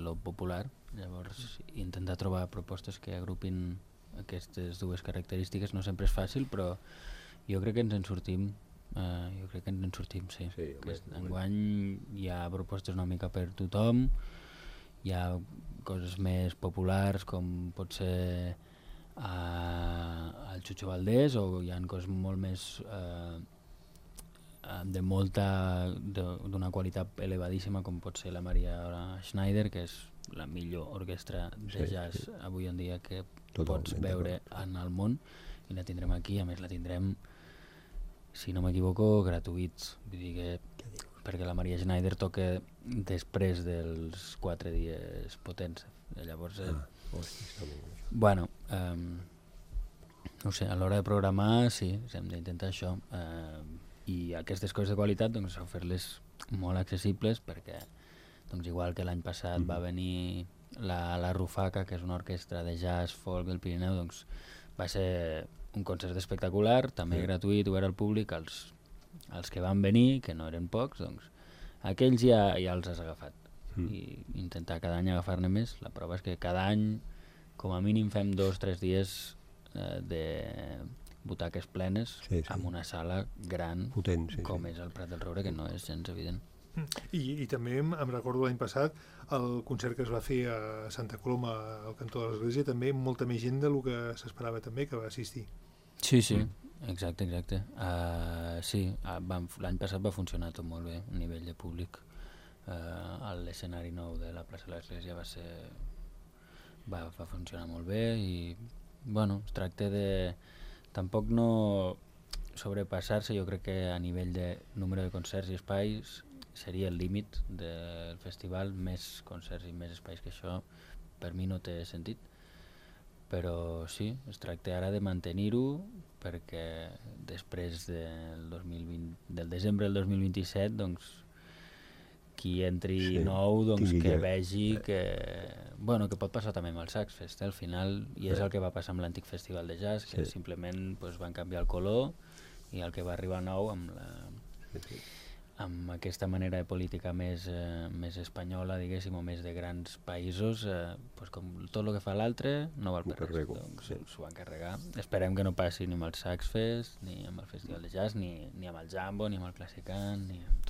lo popular. Llavors, intentar trobar propostes que agrupin aquestes dues característiques no sempre és fàcil, però jo crec que ens en sortim. Sí. Enguany hi ha propostes una mica per tothom, hi ha coses més populars com pot ser el Chucho Valdés, o hi ha coses molt més d'una qualitat elevadíssima com pot ser la Maria Schneider, que és la millor orquestra de jazz avui en dia que pots veure en el món, i la tindrem aquí. A més la tindrem, si no m'equivoco, gratuïts, vull dir que perquè la Maria Schneider toca després dels 4 dies potents. Llavors, bueno, no sé, a l'hora de programar sí, hem d'intentar això, i aquestes coses de qualitat doncs fer-les molt accessibles, perquè doncs igual que l'any passat va venir la Rufaca, que és una orquestra de jazz folk del Pirineu, doncs va ser un concert espectacular, també gratuït, obert al públic. Els que van venir, que no eren pocs, doncs aquells ja els has agafat. I intentar cada any agafar-ne més. La prova és que cada any, com a mínim, fem 2 o 3 dies de butaques plenes amb una sala gran, potent, com és el Prat del Roure, que no és gens evident. I també em recordo l'any passat el concert que es va fer a Santa Coloma, al cantó de l'Església, també molta més gent del que s'esperava també que va assistir. Sí, exacte. Sí, l'any passat va funcionar tot molt bé a nivell de públic. L'escenari nou de la plaça de l'Església va funcionar molt bé i, bueno, es tracta de... Tampoc no... O sobrepassar-se, jo crec que a nivell de número de concerts i espais seria el límit del festival. Més concerts i més espais que això per mi no té sentit, però sí, es tracta ara de mantenir-ho, perquè després del desembre del 2027, doncs, qui entri nou, doncs, que vegi que pot passar també amb el Saxfest. Al final, i és el que va passar amb l'antic festival de jazz, que simplement van canviar el color, i el que va arribar nou amb aquesta manera de política més espanyola, diguéssim, o més de grans països, com tot el que fa l'altre no val per res, doncs s'ho van carregar. Esperem que no passi ni amb el Saxfest, ni amb el Festival de Jazz, ni amb el Jambo, ni amb el Classicant, ni amb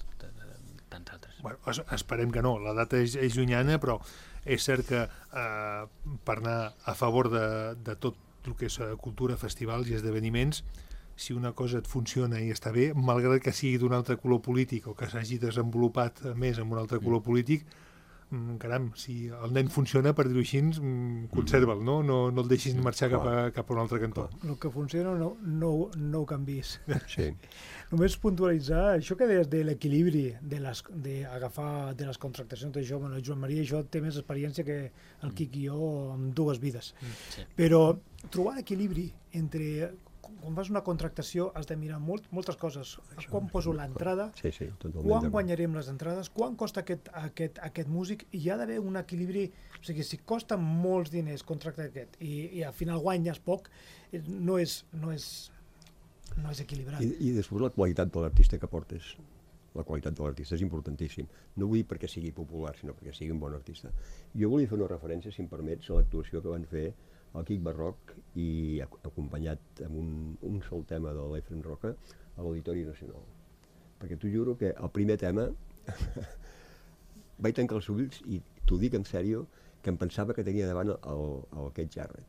tants altres. Bueno, esperem que no, la data és llunyana, però és cert que per anar a favor de tot el que és cultura, festivals i esdeveniments, si una cosa et funciona i està bé, malgrat que sigui d'un altre color polític o que s'hagi desenvolupat més amb un altre color polític, caram, si el nen funciona, per dir-ho així, conserva'l, no el deixis marxar cap a un altre cantó. El que funciona no ho canvis. Sí. Només puntualitzar això que deies de l'equilibri, d'agafar de les contractacions d'això, bueno, Joan Maria, això té més experiència que el Quic i jo amb 2 vides. Sí. Però trobar l'equilibri entre... Quan fas una contractació has de mirar moltes coses. Quan poso l'entrada, quan guanyarem les entrades, quan costa aquest músic, i hi ha d'haver un equilibri. O sigui, si costa molts diners contractar aquest i al final guanyes poc, no és equilibrat. I després la qualitat de l'artista que portes. La qualitat de l'artista és importantíssim. No vull dir perquè sigui popular, sinó perquè sigui un bon artista. Jo volia fer una referència, si em permets, a l'actuació que van fer el Quic Barroc i acompanyat amb un sol tema de l'Efrem Roca a l'Auditori Nacional. Perquè t'ho juro que el primer tema vaig tancar els ulls i t'ho dic en sèrio, que em pensava que tenia davant el Keith Jarrett.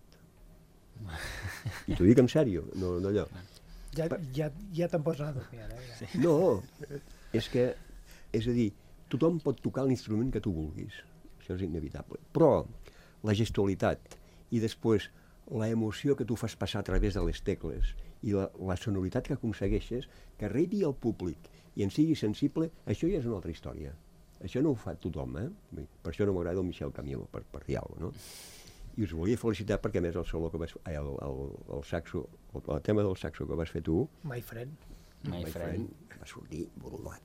I t'ho dic en sèrio, no allò. Ja te'n pots anar a dormir. No, és a dir, tothom pot tocar l'instrument que tu vulguis, això és inevitable, però la gestualitat i després la emoció que tu fas passar a través de les tecles i la sonoritat que aconsegueixes, que arribi al públic i en sigui sensible, això ja és una altra història. Això no ho fa tothom, Per això no m'agrada el Michel Camilo, per dir alguna cosa, no? I us volia felicitar perquè, a més, el solo que vas fer, el saxo, el tema del saxo que vas fer tu, My Friend, va sortir volat.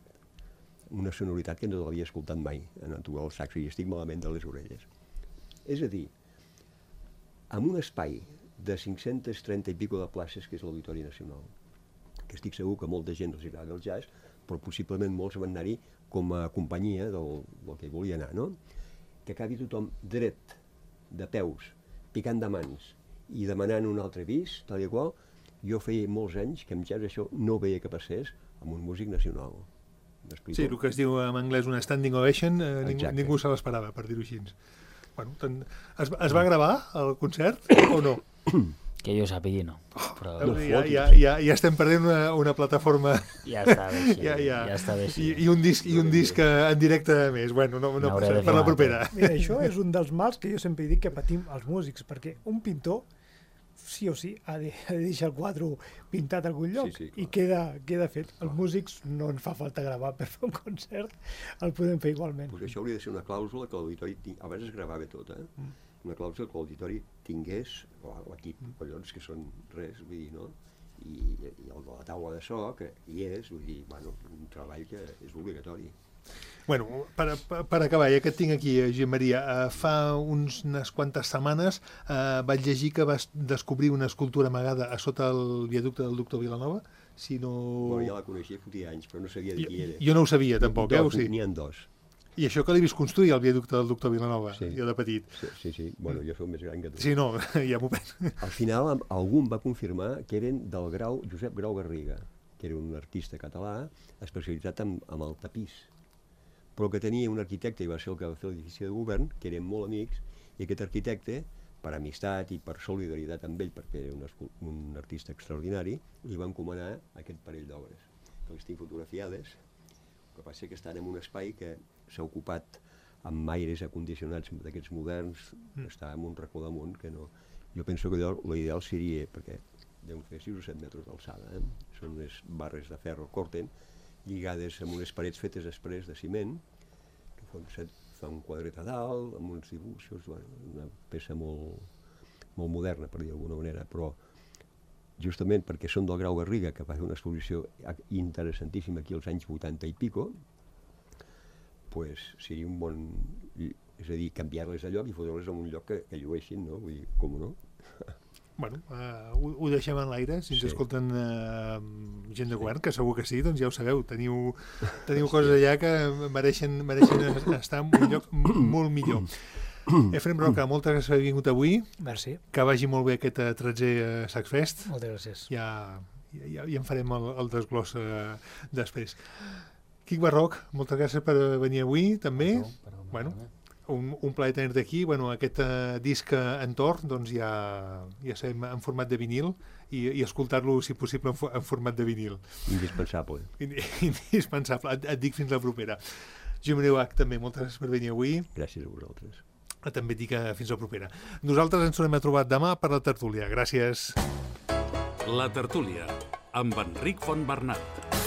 Una sonoritat que no l'havia escoltat mai en tu el saxo, i estic malament de les orelles. És a dir, amb un espai de 530 i pico de places, que és l'Auditori Nacional, que estic segur que molta gent els agrada el jazz, però possiblement molts van anar-hi com a companyia del que volia anar, no? Que acabi tothom dret, de peus, picant de mans i demanant un altre bis, tal i qual. Jo feia molts anys que amb jazz això no veia que passés amb un músic nacional. Sí, el que es diu en anglès una standing ovation, ningú se l'esperava, per dir-ho així. Bueno, es va gravar el concert o no? Que jo sàpigui, no. Però... Ja estem perdent una plataforma... Ja està bé així. Ja està bé així. I un disc en directe més. Bueno, no per la propera. Mira, això és un dels mals que jo sempre dic que patim els músics, perquè un pintor sí o sí ha de deixar el quadre pintat a algun lloc, i queda fet. Els músics no ens fa falta gravar per fer un concert, el podem fer igualment. Pues això hauria de ser una clàusula que l'auditori... Abans es gravava tot, una clàusula que l'auditori tingués, l'equip, collons, que són res, vull dir, no? I el de la taula de so, que hi és, vull dir, bueno, un treball que és obligatori. Bueno, per acabar, ja que et tinc aquí, Josep Maria, fa unes quantes setmanes vaig llegir que vas descobrir una escultura amagada a sota el viaducte del doctor Vilanova. Bueno, ja la coneixia fotia anys, però no sabia de qui era. Jo no ho sabia, tampoc, N'hi ha 2. I això que l'he vist construir, el viaducte del doctor Vilanova, jo de petit. Sí. Bueno, jo soc més gran que tu. Sí, no, ja m'ho penso. Al final, algú em va confirmar que eren del Josep Grau Garriga, que era un artista català especialitzat en el tapís, però que tenia un arquitecte, i va ser el que va fer l'edifici de govern, que eren molt amics, i aquest arquitecte, per amistat i per solidaritat amb ell, perquè era un artista extraordinari, li va encomanar aquest parell d'obres, que les tinc fotografiades. El que passa que estan en un espai que s'ha ocupat amb aires acondicionats d'aquests moderns, està en un racó damunt, que no... Jo penso que l'ideal seria, perquè deuen fer 6 o 7 metres d'alçada. Són unes barres de ferro corten, lligades amb unes parets fetes després de ciment, que fa un quadret a dalt, amb uns dibuixos, una peça molt moderna, per dir d'alguna manera, però justament perquè són del Grau Garriga, que va fer una exposició interessantíssima aquí als anys 80 i pico, pues seria un bon... És a dir, canviar-les de lloc i fotre-les en un lloc que llueixin, no? Vull dir, com no? Bueno, ho deixem en l'aire, si ens escolten gent de govern, que segur que sí, doncs ja ho sabeu, teniu coses allà que mereixen estar en un lloc molt millor. Efrem Roca, moltes gràcies per haver vingut avui. Merci. Que vagi molt bé aquest 13è Sacsfest. Moltes gràcies. Ja en farem el desglòs després. Quic Barroc, moltes gràcies per venir avui, també. Bueno, un plaer tenir-te aquí. Bueno, aquest disc Entorn, doncs ja sabem en format de vinil i escoltar-lo, si possible, en format de vinil. Indispensable. Indispensable. Et dic fins la propera. Jimmy Bach, també, moltes gràcies per venir avui. Gràcies a vosaltres. També et dic fins la propera. Nosaltres ens tornem a trobar demà per la tertúlia. Gràcies. La tertúlia, amb Enric Fontbernat.